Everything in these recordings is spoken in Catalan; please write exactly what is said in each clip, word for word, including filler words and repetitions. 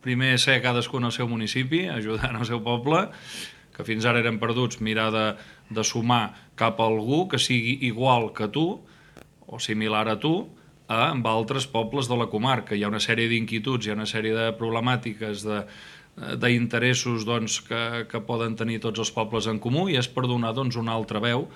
primer ser cadascun al seu municipi, ajudant al seu poble, que fins ara eren perduts, mirar de, de sumar cap a algú que sigui igual que tu o similar a tu a, amb altres pobles de la comarca. Hi ha una sèrie d'inquietuds, hi ha una sèrie de problemàtiques, de, d'interessos doncs, que, que poden tenir tots els pobles en comú, i és per donar doncs, una altra veu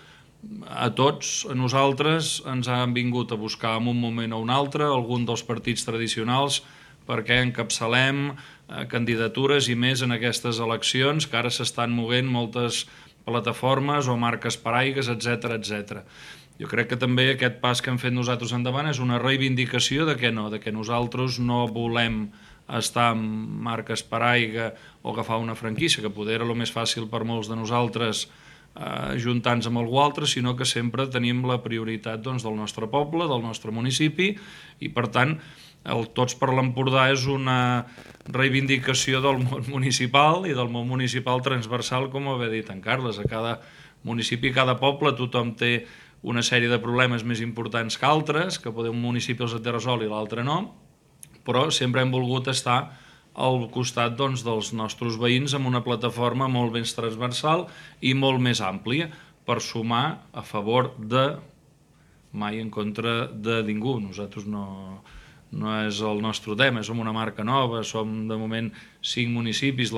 a tots. A nosaltres ens han vingut a buscar en un moment o un altre algun dels partits tradicionals perquè encapçalem eh, candidatures i més en aquestes eleccions, que ara s'estan movent moltes plataformes o marques paraigues, etcètera, etcètera. Jo crec que també aquest pas que hem fet nosaltres endavant és una reivindicació de que no, de que nosaltres no volem estar amb marques paraigua o agafar una franquícia, que poder era el més fàcil per molts de nosaltres eh, juntar-nos amb algú altre, sinó que sempre tenim la prioritat doncs, del nostre poble, del nostre municipi, i per tant el Tots per l'Empordà és una reivindicació del món municipal i del món municipal transversal, com ho havia dit en Carles. A cada municipi, a cada poble, tothom té una sèrie de problemes més importants que altres, que poder un municipi els té resol i l'altre no, però sempre hem volgut estar al costat doncs, dels nostres veïns amb una plataforma molt més transversal i molt més àmplia, per sumar a favor de, mai en contra de ningú. Nosaltres no, no és el nostre tema, som una marca nova, som de moment cinc municipis,